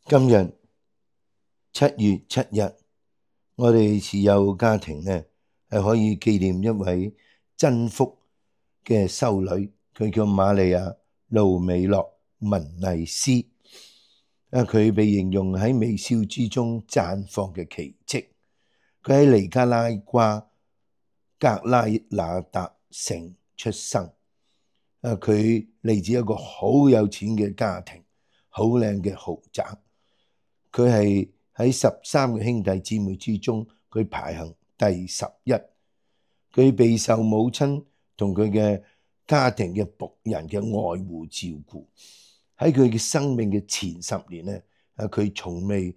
今日7月7日，我哋持有家庭呢係可以紀念一位真福嘅修女，佢叫瑪利亞盧美諾文麗斯。佢被形容喺微笑之中綻放嘅奇蹟。佢喺尼加拉瓜格拉那達城出生。佢嚟自一個好有錢嘅家庭，好靚嘅豪宅。佢係喺13個兄弟姊妹之中，佢排行第11。佢備受母親同佢嘅家庭嘅僕人嘅愛護照顧。喺佢嘅生命嘅前10年呢，佢從未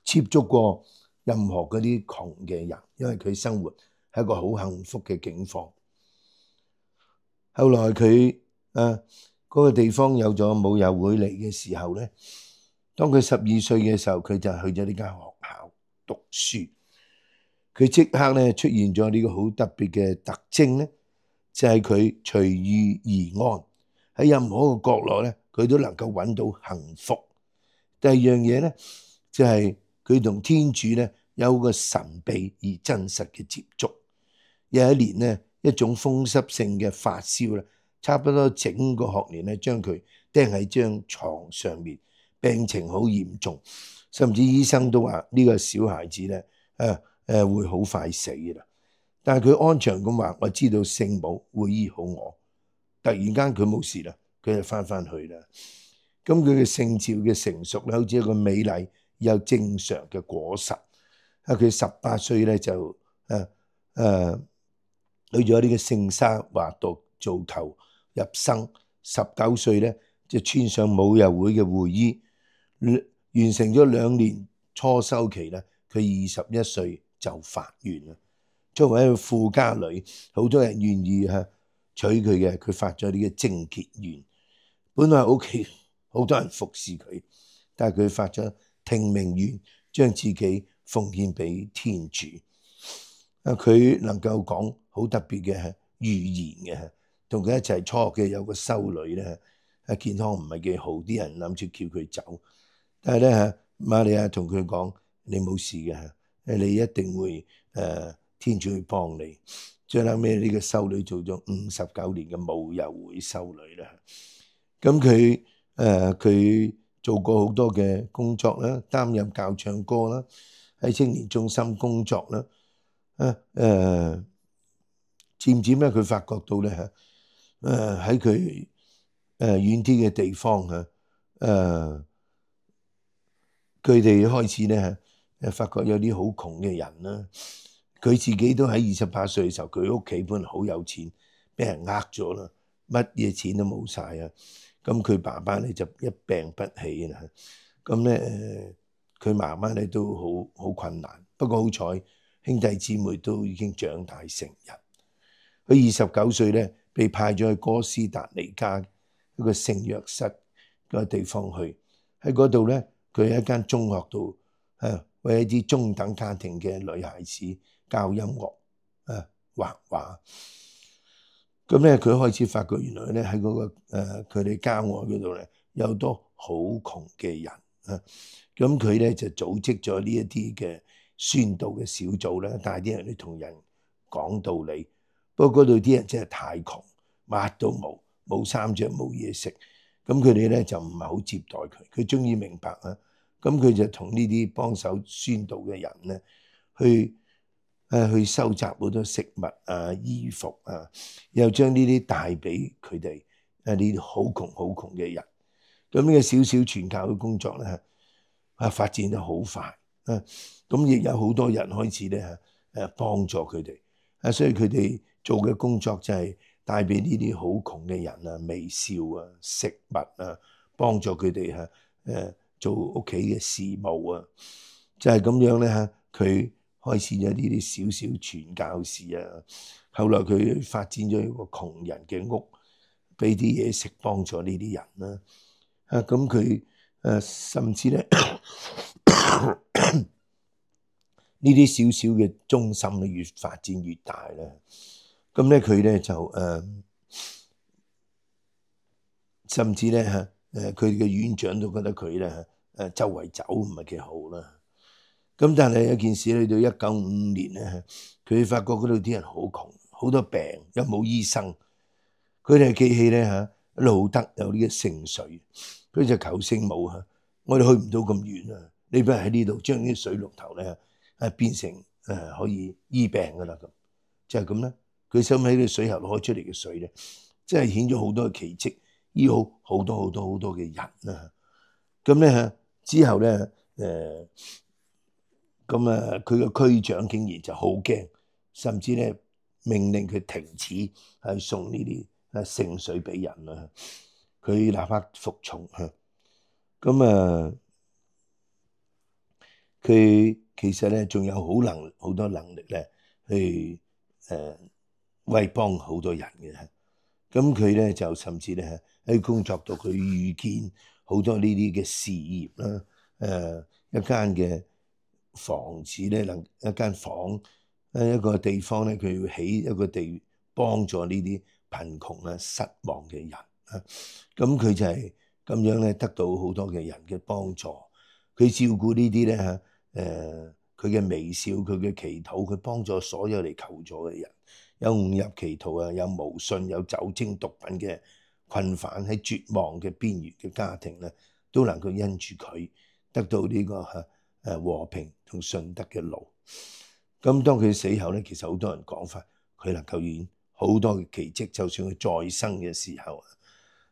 接觸過任何嗰啲窮嘅人，因為佢生活係一個好幸福嘅境況。後來佢嗰個地方有咗母幼會嚟嘅時候呢，當佢12歲嘅時候，佢就去咗呢間學校讀書。佢即刻呢出現咗呢個好特別嘅特徵呢，就係佢隨遇而安，喺任何一個角落呢，佢都能夠揾到幸福。第二樣嘢呢，就係佢同天主呢有個神秘而真實嘅接觸。有一年呢，一種風濕性嘅發燒呢，差不多整個學年呢將佢釘喺張床上面，病情好嚴重，甚至醫生都話呢個小孩子呢會好快死啦。但係佢安詳咁話，我知道聖母會醫好我。突然間佢冇事啦，佢就翻去啦。咁佢嘅聖召嘅成熟咧，好似一個美麗又正常嘅果實。佢18歲咧就去咗呢個聖沙華道做頭入生。19歲咧就穿上母幼會嘅會衣，完成咗2年初修期咧。佢21歲就發願啦。作為一個富家女，好多人願意娶佢嘅，佢發咗呢個貞潔願。本來屋企好多人服侍佢，但係佢發咗聽命願，將自己奉獻俾天主。佢能夠講好特別嘅語言嘅，同佢一齊初學嘅有個修女咧，健康唔係幾好，啲人諗住叫佢走，但係咧瑪利亞同佢講：你冇事嘅，你一定會天主會幫你。最後尾呢個修女做咗59年嘅母幼會修女啦。咁佢做過好多嘅工作啦，擔任教唱歌啦，喺青年中心工作啦。漸漸咧佢發覺到咧喺佢遠啲嘅地方佢哋開始咧發覺有啲好窮嘅人啦。佢自己都喺28歲嘅時候，佢屋企本來好有錢，俾人呃咗啦，乜嘢錢都冇晒啊！咁佢爸爸咧就一病不起啦。咁咧佢媽媽咧都好困難，不過好彩兄弟姊妹都已經長大成人。佢29歲咧被派咗去哥斯達黎加一個聖若瑟個地方去，喺嗰度咧佢喺一間中學度為一啲中等家庭嘅女孩子教音樂畫畫。咁咧佢開始發覺原來咧喺嗰個佢哋郊外嗰度咧有好多好窮嘅人。咁佢咧就組織咗呢一啲嘅宣道嘅小組啦，帶啲人去同人講道理。不過嗰度啲人真係太窮，乜都冇，冇衫着，冇嘢食。咁佢哋咧就唔係好接待佢。佢終於明白啊，咁佢就同呢啲幫手宣道嘅人咧去收集好多食物衣服又將呢啲帶俾佢哋呢啲好窮嘅人。咁呢個小小傳教嘅工作咧發展得好快。咁亦有好多人開始咧幫助佢哋。所以佢哋做嘅工作就係帶俾呢啲好窮嘅人微笑食物幫助佢哋做屋企嘅事務就係咁樣咧佢開始咗呢啲小小傳教士後來佢發展咗一個窮人嘅屋，俾啲嘢食幫助呢啲人啦。咁佢甚至咧呢啲小小嘅中心咧越發展越大啦。咁咧佢咧就甚至咧佢嘅院長都覺得佢咧周圍走唔係幾好啦。咁但係有件事去到1955年咧，佢發覺嗰度啲人好窮，好多病，又冇醫生。佢哋記起咧路德有呢個聖水，佢就求聖母我哋去唔到咁遠啊，你不如喺呢度將啲水龍頭咧變成可以醫病噶啦咁，就係咁啦。佢收喺個水喉攞出嚟嘅水咧，即係顯咗好多嘅奇蹟，醫好好多嘅人啦。咁咧之後咧佢個區長竟然就好驚，甚至咧命令佢停止係送呢啲聖水俾人啦。佢立刻服從咁佢其實咧仲有好多能力咧去為幫好多人嘅。咁佢咧就甚至咧喺工作度佢遇見好多呢啲嘅事業啦，一間嘅房子咧，一間房一個地方咧，佢要起一個地幫助呢啲貧窮啦、失望嘅人咁佢就係咁樣咧，得到好多嘅人嘅幫助。佢照顧呢啲咧佢嘅微笑，佢嘅祈禱，佢幫助所有嚟求助嘅人。有誤入歧途有無信，有酒精毒品嘅困犯，喺絕望嘅邊緣嘅家庭咧，都能夠因住佢得到呢個和平同順德嘅路。咁當佢死後咧，其實好多人講法，佢能夠演好多嘅奇蹟，就算佢再生嘅時候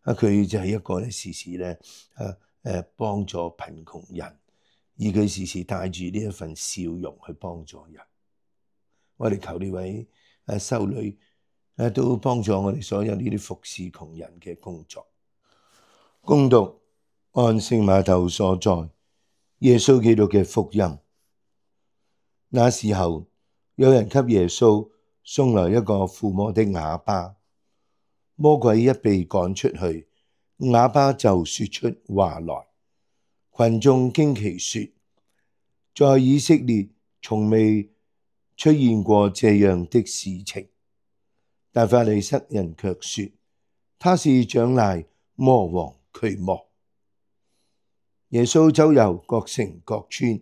佢就係一個咧時時咧幫助貧窮人，而佢時時帶住呢一份笑容去幫助人。我哋求呢位修女都幫助我哋所有呢啲服侍窮人嘅工作。恭讀按聖瑪竇所載耶穌基督嘅福音。那時候，有人給耶穌送來一個附魔的啞巴，魔鬼一被趕出去，啞巴就說出話來。群眾驚奇說，在以色列從未出現過這樣的事情。但法利塞人卻說，他是長賴魔王驅魔。耶穌周遊各城各村，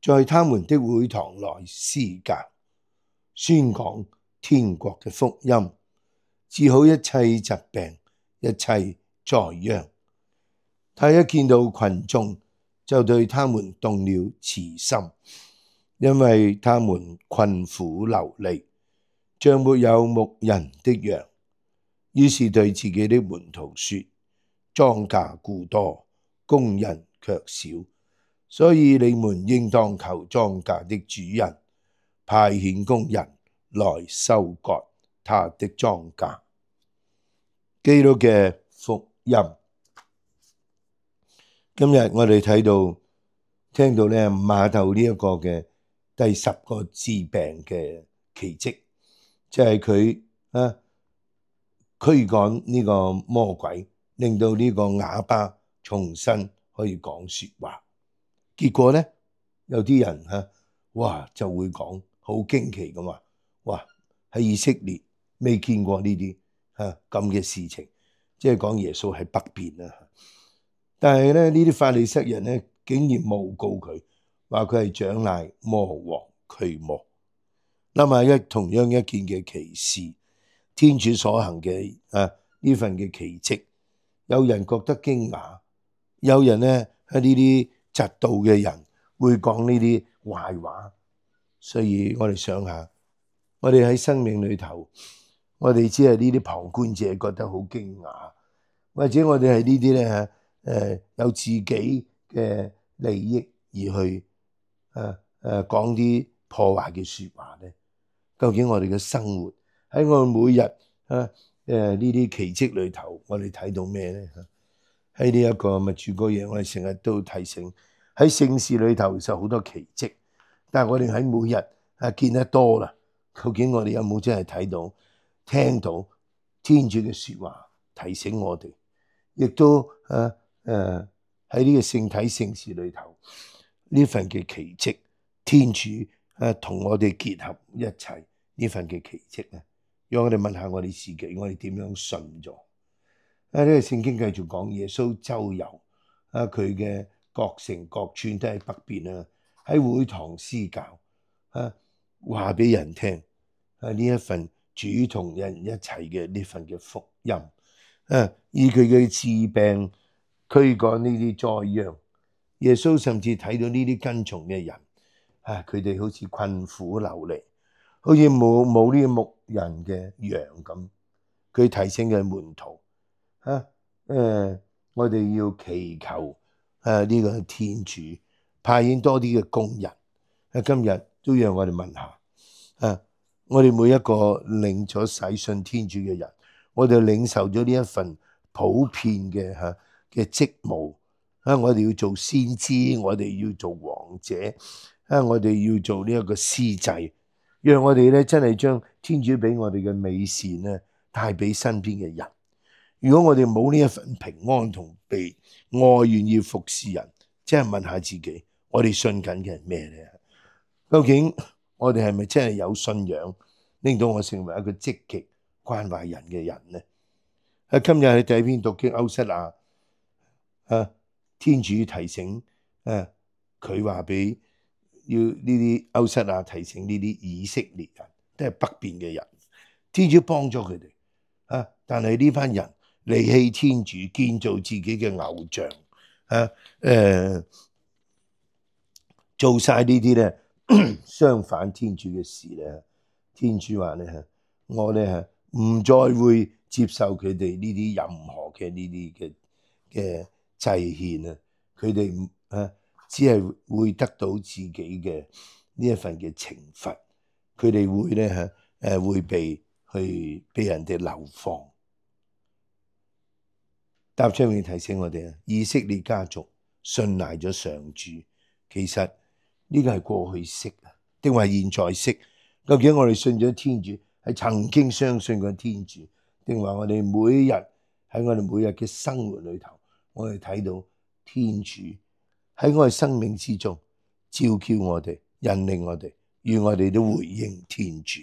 在他們的會堂內施教，宣講天國嘅福音，治好一切疾病、一切災殃。他一見到群眾，就對他們動了慈心，因為他們困苦流離，像沒有牧人的羊。於是對自己的門徒說，莊稼固多，工人卻少，所以你們應當求莊稼的主人派遣工人來收割他的莊稼。基督嘅福音。今日我哋聽到咧瑪竇呢一個嘅第10個治病嘅奇蹟，就係佢驅趕呢個魔鬼，令到呢個啞巴重新可以講說話。結果咧，有啲人就會講好驚奇咁話，哇！喺以色列未見過呢啲咁嘅事情，即係講耶穌喺北邊啦。但係咧，呢啲法利塞人咧，竟然誣告佢，話佢係長賴魔王驅魔。諗下同樣一件嘅奇事，天主所行嘅呢份嘅奇蹟，有人覺得驚訝，有人咧喺呢啲嫉妒嘅人會講呢啲壞話。所以我哋想下，我哋喺生命裏頭，我哋只係呢啲旁觀者覺得好驚訝，或者我哋係呢啲咧有自己嘅利益而去講啲破壞嘅說話咧。究竟我哋嘅生活喺我哋每日呢啲奇蹟裏頭，我哋睇到咩咧？喺呢一個咪住個嘢，我哋成日都提醒喺聖事裏頭其實好多奇蹟，但係我哋喺每日見得多啦，究竟我哋有冇真係睇到、聽到天主嘅說話提醒我哋？亦都喺呢個聖體聖事裏頭呢份嘅奇蹟，天主同我哋結合一齊呢份嘅奇蹟咧，讓我哋問下我哋自己，我哋點樣信咗？呢個聖經繼續講耶穌周遊佢嘅各城各村都喺北邊啊，喺會堂施教啊，話俾人聽啊，呢一份主同人一齊嘅呢份嘅福音啊，以佢嘅治病驅趕呢啲災殃。耶穌甚至睇到呢啲跟從嘅人啊，佢哋好似困苦流離，好似冇呢個牧人嘅羊咁。佢提醒嘅門徒啊，我哋要祈求呢個天主派遣多啲嘅工人。今日都讓我哋問下我哋每一個領咗洗信天主嘅人，我哋領受咗呢一份普遍嘅職務我哋要做先知，我哋要做王者我哋要做呢一個司祭，讓我哋咧真係將天主俾我哋嘅美善咧帶俾身邊嘅人。如果我哋冇呢一份平安同被愛，願意服侍人，真係問下自己，我哋信緊嘅係咩咧？究竟我哋係咪真係有信仰，令到我成為一個積極關懷人嘅人呢？今日喺第一篇讀經歐瑟亞天主提醒佢話俾要呢啲歐瑟亞提醒呢啲以色列人，都係北邊嘅人，天主幫咗佢哋但係呢班人離棄天主，建造自己嘅偶像做晒呢啲咧相反天主嘅事咧。天主話咧我咧唔再會接受佢哋呢啲任何嘅呢啲嘅祭獻佢哋只係會得到自己嘅呢一份嘅懲罰，佢哋會咧會被人哋流放。答唱詠提醒我哋以色列家族信賴咗上主，其實呢個係過去式定話現在式？究竟我哋信咗天主係曾經相信過天主，定話我哋每日喺我哋每日嘅生活裏頭，我哋睇到天主喺我哋生命之中召叫我哋，引領我哋，願我哋都回應天主。